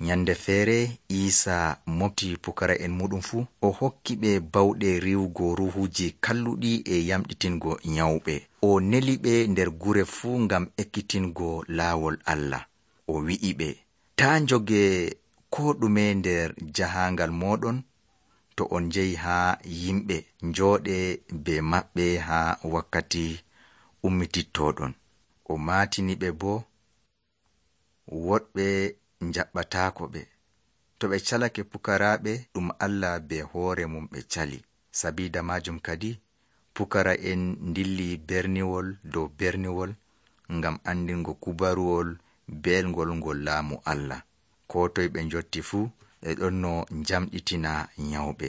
Nyande feere Iisa mofti pukara'en muɗum fuu, o hokki ɓe bawɗe riwugo ruhuji kalluɗi e yamɗitingo nyawɓe. O neli ɓe nder gure fuu ngam ekkitingo laawol Allah. O wi'i ɓe, taa njoge ko ɗume nder jahaangal mooɗon. To on njehi haa yimɓe, njooɗe be maɓɓe haa wakkati ummitittoɗon. O maatini ɓe boo, woɗɓe njaɓɓataako ɓe. To ɓe calake pukaraaɓe, ɗum Allah be hoore mum ɓe cali. Sabiida maajum kadi, pukara'en ndilli berniwol dow berniwol ngam andingo kubaruwol belngol ngol laamu Allah. Koo toye ɓe njotti fuu, ɓe ɗon no njamɗitina nyawɓe.